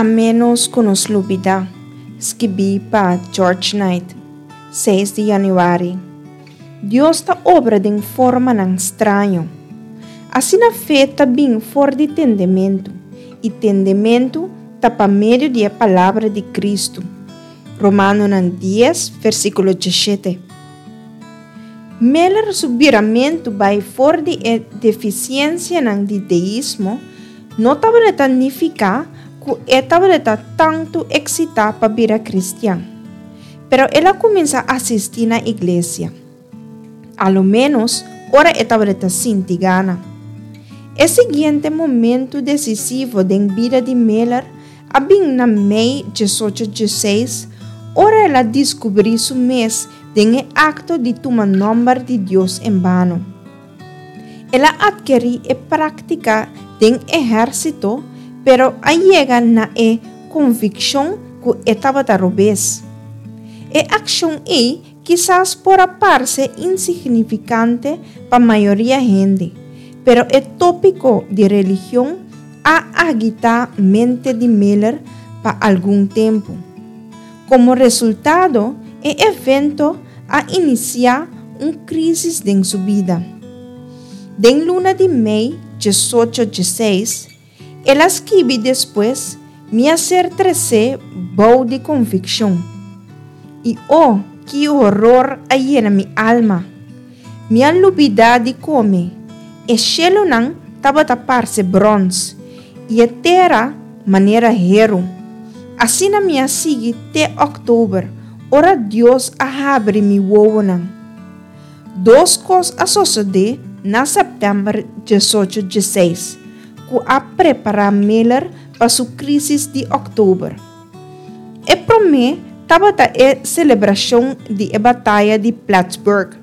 A ménos ku nos lubidá, skibí pa George Knight, seis di yanüari. Dios ta obra den formanan straño. Asina fe ta bin for di tendementu, i tendementu ta pa medio di e palabra di Kristu. Romanonan dies, versíkulo diesshete. Miller su biramentu bai for di e defisiensianan di deismo no tabata nifiká ku e tabata tantu eksitá pa bira kristian. Pero el a kuminsá asistí na iglesia, a lo ménos ora e tabata sinti gana. E siguiente momentu desisivo den bida di Miller a bin na mei diesocho dieseis ora el a diskubrí su mes den e akto di tuma nòmber di Dios en bano. El a atkerí e práktika den ehérsito pero a yega na e konvikshon ku e tabata robes. E akshon ei kisas por a parse insignifikante pa mayoria hende, pero e tópiko di religion a agitá mente di Miller pa algun tempu. Komo resultado, e evento a inisiá un krísis den su bida. Den luna di mei diesocho dieseis, el a skibi despues, Mi a ser tresé bou di konvikshon. I o, ki horor a yena mi alma! Mi a lubidá di kome. E shelunan tabata parse bròns, i e tera manera heru. Asina mi a sigui te òktober, ora Dios a habri mi wowonan. Dos kos a sosodé na sèptèmber diesocho dieseis ku a prepará Miller pa su krísis di òktober. E promé tabata e selebrashon di e bataya di Plattsburgh.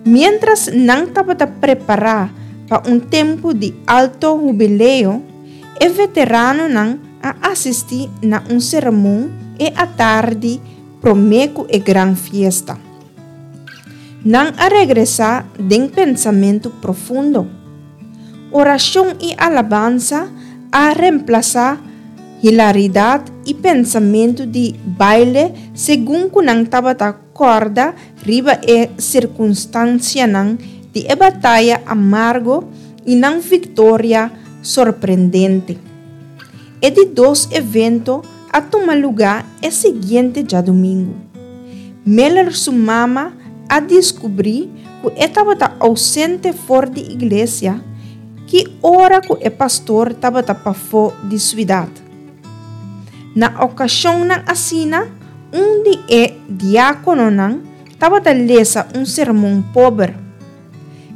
Miéntras nan tabata prepará pa un tempu di alto hubileo, e veteranonan a asistí na un sermon e atardi promé ku e gran fiesta. Nan a regresá den pensamentu profundo. Orashon i alabansa a remplasá hilaridat i pensamentu di baile segun ku nan tabata kòrda riba e sirkunstansianan di e bataya amargo i nan viktoria sorprendente. E di dos evento a tuma lugá e siguiente djadumingu. Miller su mama a diskubrí ku e tabata ousente for di iglesia ki ora ku e pastor tabata pafó di suidat. Na okashonnan asina, un di e diákononan tabata lesa un sermon pober.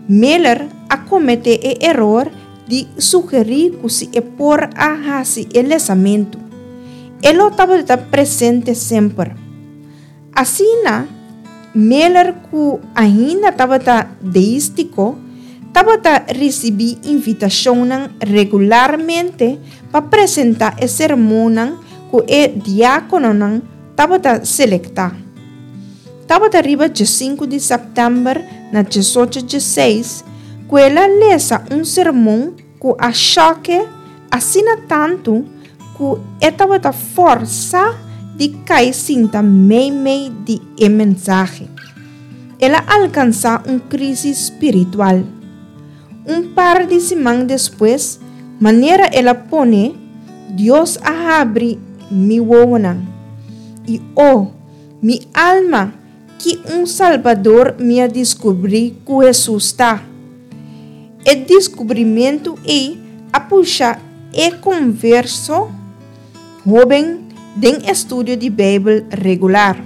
Miller a kometé e eror di sugerí ku si e por a hasi e lesamentu, e lo tabata presente semper. Asina, Miller ku ainda tabata deístiko, tabata risibí invitashonnan regularmente pa presentá e sermonnan ku e diákononan tabata selektá. Tabata riba diesinku di sèptèmber na diesocho dieseis ku el a lesa un sermon ku a shòk'e asina tantu ku e tabata fòrsá di kai sinta meimei di e mensahe. El a alkansá un krísis spiritual. Un par di siman despues, manera el a pone, Dios a habri mi wowonan. I o, mi alma, ki un Salbador mi a diskubrí ku Hesus ta! E diskubrimentu ei a pusha e konverso hóben den estudio di Beibel regular.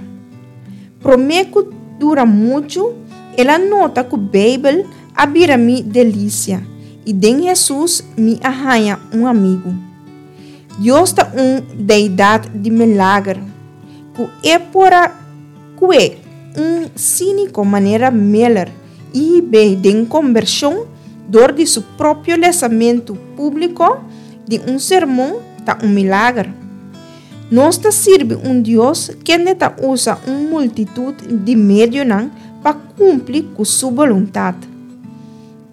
Promé ku dura muchu, el a nota ku Beibel a bira mi delisia i den Hesus mi a haña un amigu. Dios ta un Deidat di milager ku e por a kue un síniko manera Miller i hib'é den kombershon dor di su propio lesamentu públiko di un sermon ta un milager. Nos ta sirbi un Dios kende ta usa un multitut di medionan pa kumpli ku su boluntat.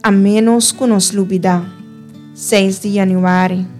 A ménos ku nos lubidá. Seis di yanüari.